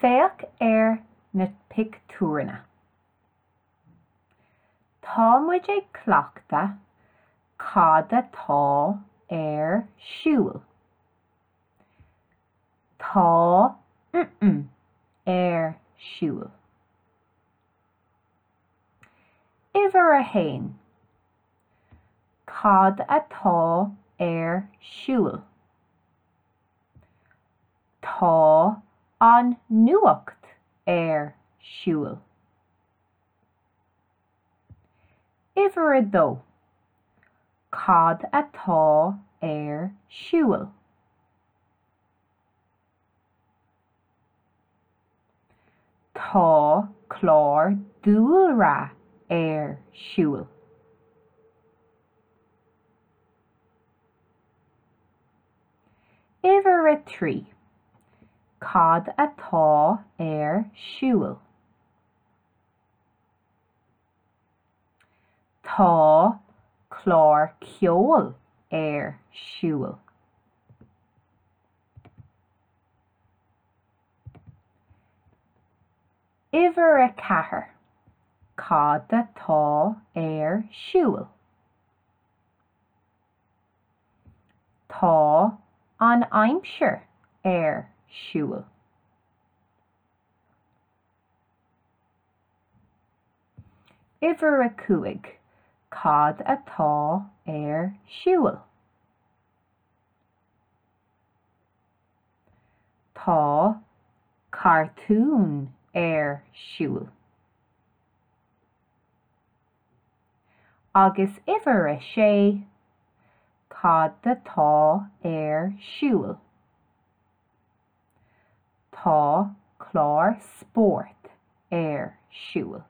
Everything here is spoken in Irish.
Féach ar na pictiúranna. Tá muid ag cleachtadh cad atá ar siúl. Tá mm ar siúl. Uimhir a haon. Cad atá ar siúl? Tá an nuacht ar siúl. Uimhir a dó. Cad atá ar siúl? Tá clár dúlra ar siúl. Uimhir a 3. Cad atá ar siúl? Tá clár ceoil ar siúl. Uimhir 4. Cad atá ar siúl? Tá an aimsir ar siúl. Uimhir 5. Cad atá ar siúl? Tá cartún ar siúl. Agus uimhir 6, cad atá ar siúl? Tá clár spóirt ar siúl.